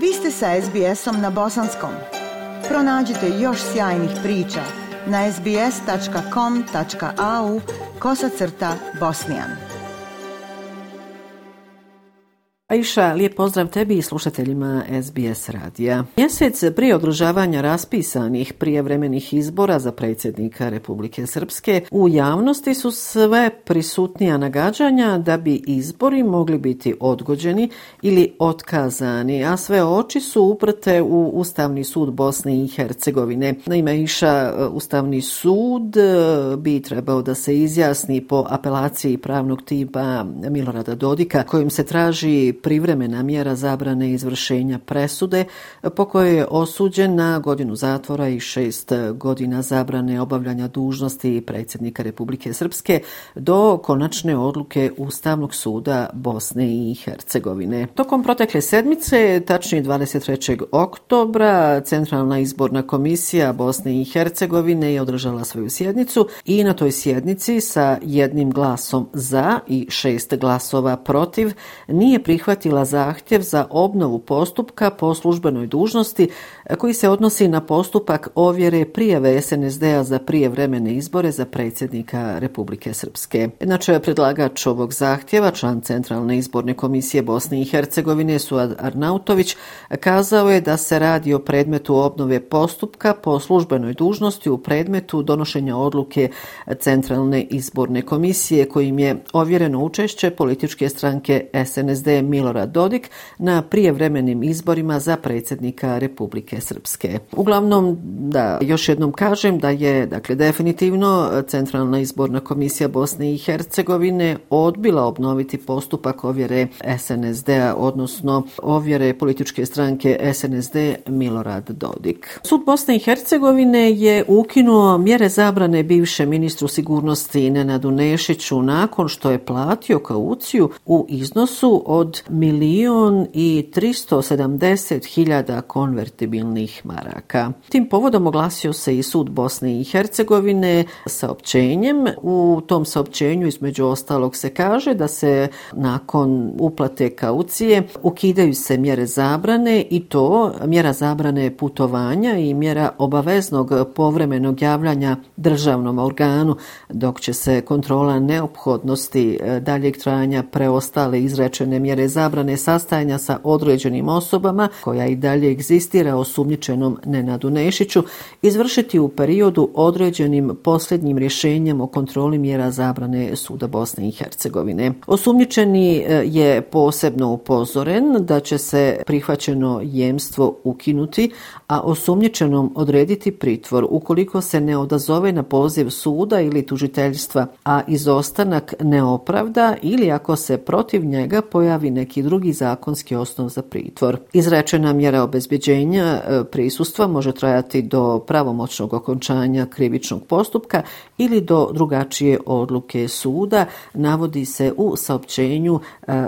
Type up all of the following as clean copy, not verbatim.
Vi ste sa SBS-om na bosanskom. Pronađite još sjajnih priča na sbs.com.au/bosnijan. Aisha, lijep pozdrav tebi i slušateljima SBS radija. Mjesec prije održavanja raspisanih prijevremenih izbora za predsjednika Republike Srpske, u javnosti su sve prisutnija nagađanja da bi izbori mogli biti odgođeni ili otkazani, a sve oči su uprte u Ustavni sud Bosne i Hercegovine. Naime, Aisha, Ustavni sud bi trebao da se izjasni po apelaciji pravnog tima Milorada Dodika, kojim se traži privremena mjera zabrane izvršenja presude po kojoj je osuđen na 1 godinu zatvora i 6 godina zabrane obavljanja dužnosti predsjednika Republike Srpske do konačne odluke Ustavnog suda Bosne i Hercegovine. Tokom protekle sedmice, tačnije 23. oktobra, Centralna izborna komisija Bosne i Hercegovine je održala svoju sjednicu i na toj sjednici sa 1 glasom za i 6 glasova protiv nije prihvatila zahtjev za obnovu postupka po službenoj dužnosti koji se odnosi na postupak ovjere prijave SNSD-a za prijevremene izbore za predsjednika Republike Srpske. Inače, predlagač ovog zahtjeva, član Centralne izborne komisije Bosne i Hercegovine Suad Arnautović, kazao je da se radi o predmetu obnove postupka po službenoj dužnosti u predmetu donošenja odluke Centralne izborne komisije kojim je ovjereno učešće političke stranke SNSD Milorad Dodik na prijevremenim izborima za predsjednika Republike Srpske. Uglavnom, da još jednom kažem da je definitivno Centralna izborna komisija Bosne i Hercegovine odbila obnoviti postupak ovjere SNSD-a, odnosno ovjere političke stranke SNSD Milorad Dodik. Sud Bosne i Hercegovine je ukinuo mjere zabrane bivšem ministru sigurnosti Nenadu Nešiću nakon što je platio kauciju u iznosu od 1.370.000 konvertibilnih maraka. Tim povodom oglasio se i sud Bosne i Hercegovine saopćenjem. U tom saopćenju između ostalog se kaže da se nakon uplate kaucije ukidaju se mjere zabrane i to mjera zabrane putovanja i mjera obaveznog povremenog javljanja državnom organu, dok će se kontrola neophodnosti daljeg trajanja preostale izrečene mjere zabrane sastajanja sa određenim osobama, koja i dalje egzistira osumnjičenom Nenadu Nešiću, izvršiti u periodu određenim posljednjim rješenjem o kontroli mjera zabrane suda Bosne i Hercegovine. Osumnjičeni je posebno upozoren da će se prihvaćeno jemstvo ukinuti, a osumnjičenom odrediti pritvor ukoliko se ne odazove na poziv suda ili tužiteljstva, a izostanak ne opravda ili ako se protiv njega pojavi neki drugi zakonski osnov za pritvor. Izrečena mjera obezbjeđenja prisustva može trajati do pravomoćnog okončanja krivičnog postupka ili do drugačije odluke suda, navodi se u saopćenju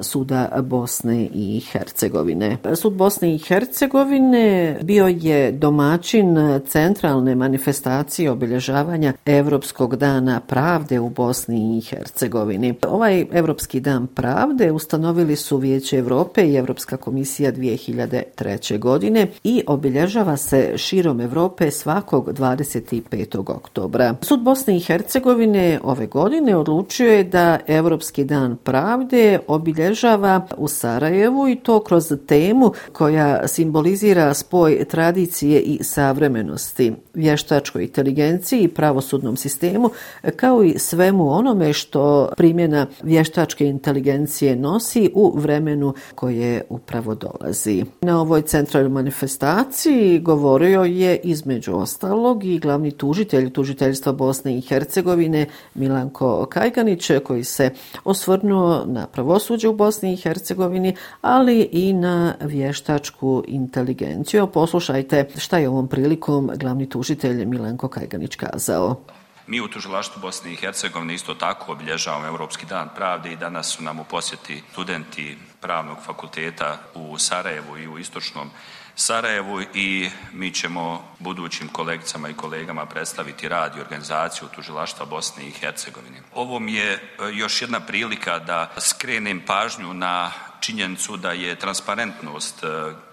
suda Bosne i Hercegovine. Sud Bosne i Hercegovine bio je domaćin centralne manifestacije obilježavanja Europskog dana pravde u Bosni i Hercegovini. Ovaj Europski dan pravde ustanovili su Vijeće Europe i Europska komisija 2003. godine i obilježava se širom Europe svakog 25. oktobra. Sud Bosne i Hercegovine ove godine odlučio je da Europski dan pravde obilježava u Sarajevu i to kroz temu koja simbolizira spoj tradicije i savremenosti, vještačkoj inteligenciji i pravosudnom sistemu, kao i svemu onome što primjena vještačke inteligencije nosi u vremenu koje upravo dolazi. Na ovoj centralnoj manifestaciji govorio je između ostalog i glavni tužitelj tužiteljstva Bosne i Hercegovine Milanko Kajganić, koji se osvrnuo na pravosuđe u Bosni i Hercegovini, ali i na vještačku inteligenciju. Poslušajte šta je ovom prilikom glavni tužitelj Milanko Kajganić kazao. Mi u tužilaštvu Bosne i Hercegovine isto tako obilježavamo Europski dan pravde i danas su nam u posjeti studenti Pravnog fakulteta u Sarajevu i u istočnom Sarajevu i mi ćemo budućim kolegicama i kolegama predstaviti rad i organizaciju tužilaštva Bosne i Hercegovine. Ovo mi je još jedna prilika da skrenem pažnju na činjenicu da je transparentnost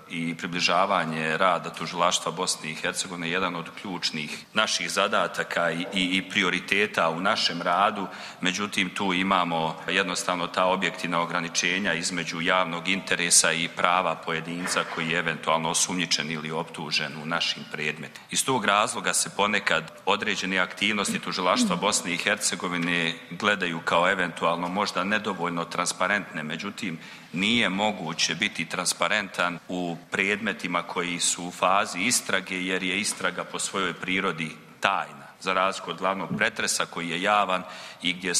i približavanje rada tužilaštva Bosne i Hercegovine jedan od ključnih naših zadataka i prioriteta u našem radu. Međutim, tu imamo jednostavno ta objektivna ograničenja između javnog interesa i prava pojedinca koji je eventualno osumnjičen ili optužen u našim predmetima. Iz tog razloga se ponekad određene aktivnosti tužilaštva Bosne i Hercegovine gledaju kao eventualno možda nedovoljno transparentne, međutim nije moguće biti transparentan u predmetima koji su u fazi istrage jer je istraga po svojoj prirodi tajna, za razliku od glavnog pretresa koji je javan i gdje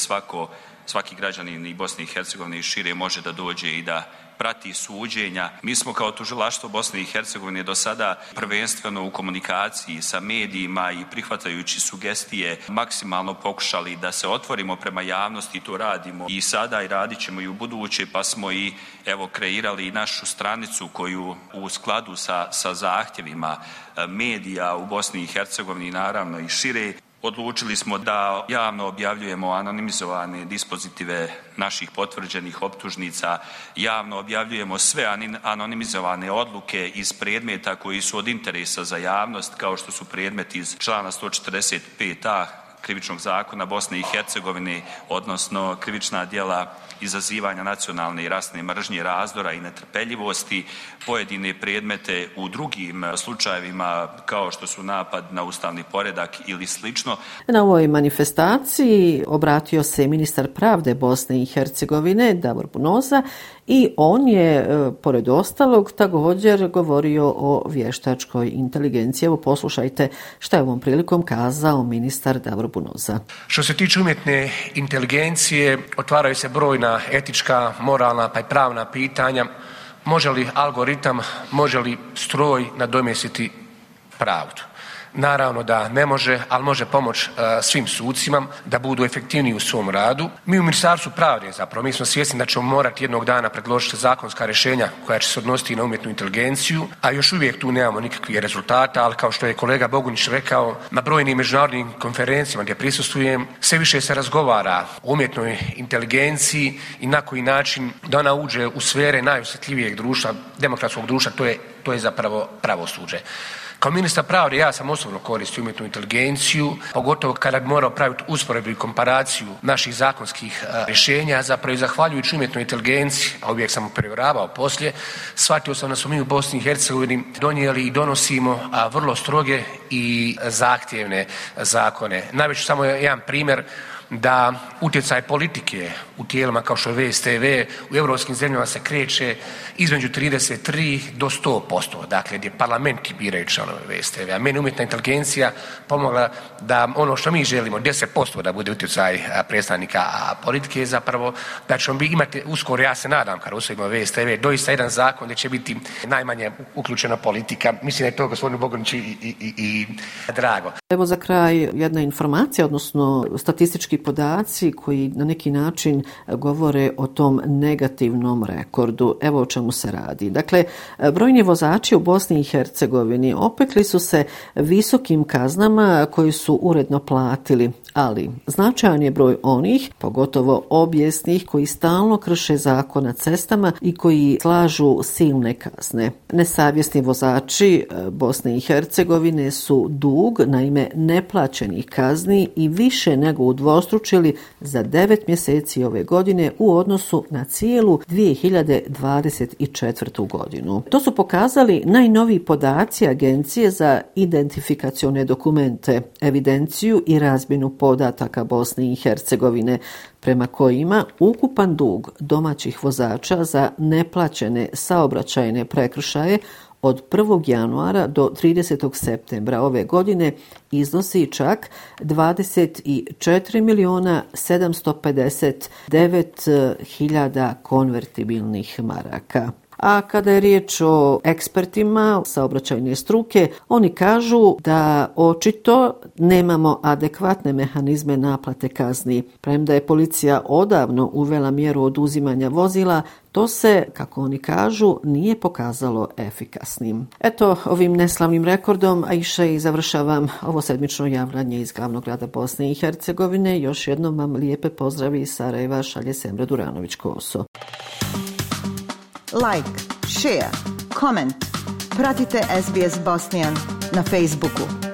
svaki građanin i Bosne i Hercegovine i šire može da dođe i da prati suđenja. Mi smo kao tužilaštvo Bosne i Hercegovine do sada prvenstveno u komunikaciji sa medijima i prihvatajući sugestije maksimalno pokušali da se otvorimo prema javnosti, to radimo i sada i radit ćemo i u buduće, pa smo i kreirali našu stranicu koju u skladu sa zahtjevima medija u Bosni i Hercegovini naravno i šire. Odlučili smo da javno objavljujemo anonimizovane dispozitive naših potvrđenih optužnica, javno objavljujemo sve anonimizovane odluke iz predmeta koji su od interesa za javnost, kao što su predmeti iz člana 145a Krivičnog zakona Bosne i Hercegovine, odnosno krivična djela izazivanja nacionalne i rasne mržnje, razdora i netrpeljivosti, pojedine predmete u drugim slučajevima kao što su napad na ustavni poredak ili slično. Na ovoj manifestaciji obratio se ministar pravde Bosne i Hercegovine Davor Bunoza i on je, pored ostalog, također govorio o vještačkoj inteligenciji. Evo poslušajte šta je ovom prilikom kazao ministar Davor Bunoza. Što se tiče umjetne inteligencije, otvaraju se brojna etička, moralna pa i pravna pitanja. Može li algoritam, može li stroj nadomjestiti pravdu? Naravno da ne može, ali može pomoći svim sucima da budu efektivniji u svom radu. Mi u Ministarstvu pravde mi smo svjesni da ćemo morati jednog dana predložiti zakonska rješenja koja će se odnositi na umjetnu inteligenciju, a još uvijek tu nemamo nikakvih rezultata, ali kao što je kolega Bogunić rekao, na brojnim međunarodnim konferencijama gdje prisustvujem, sve više se razgovara o umjetnoj inteligenciji i na koji način da ona uđe u sfere najosjetljivijeg društva, demokratskog društva, to je zapravo pravosuđe. Kao ministar pravde ja sam osobno koristio umjetnu inteligenciju, pogotovo kada bi morao praviti usporedbu i komparaciju naših zakonskih rješenja, zapravo i zahvaljujući umjetnoj inteligenciji, a uvijek sam provjeravao poslije, shvatio sam da smo mi u Bosni i Hercegovini donijeli i donosimo vrlo stroge i zahtjevne zakone. Navest ću samo jedan primjer da utjecaj politike u tijelima kao što je VSTV u europskim zemljama se kreće između 33 do 100%, dakle gdje parlamenti biraju članove VSTV, a meni umjetna inteligencija pomogla da ono što mi želimo 10% da bude utjecaj predstavnika politike, zapravo da ćemo imati uskoro, ja se nadam kada usvojimo VSTV, doista jedan zakon gdje će biti najmanje uključena politika. Mislim da je to gospodinu Boguniću i drago. Evo za kraj jedna informacija, odnosno statistički podaci koji na neki način govore o tom negativnom rekordu. Evo o čemu se radi. Dakle, brojni vozači u Bosni i Hercegovini opekli su se visokim kaznama koji su uredno platili, ali značajan je broj onih, pogotovo obijesnih, koji stalno krše zakon na cestama i koji slažu silne kazne. Nesavjesni vozači Bosne i Hercegovine su dug na ime neplaćenih kazni i više nego udvostručili za 9 mjeseci ove godine u odnosu na cijelu 2024. godinu. To su pokazali najnoviji podaci Agencije za identifikacione dokumente, evidenciju i razmjenu podataka Bosne i Hercegovine, prema kojima ukupan dug domaćih vozača za neplaćene saobraćajne prekršaje od 1. januara do 30. septembra ove godine iznosi čak 24.759.000 konvertibilnih maraka. A kada je riječ o ekspertima saobraćajne struke, oni kažu da očito nemamo adekvatne mehanizme naplate kazni. Premda je policija odavno uvela mjeru oduzimanja vozila, to se, kako oni kažu, nije pokazalo efikasnim. Eto, ovim neslavnim rekordom, a iše i završavam ovo sedmično javljanje iz glavnog grada Bosne i Hercegovine. Još jednom vam lijepe pozdravi iz Sarajeva, šalje Semra Duranović-Koso. Like, share, comment. Pratite SBS Bosnian na Facebooku.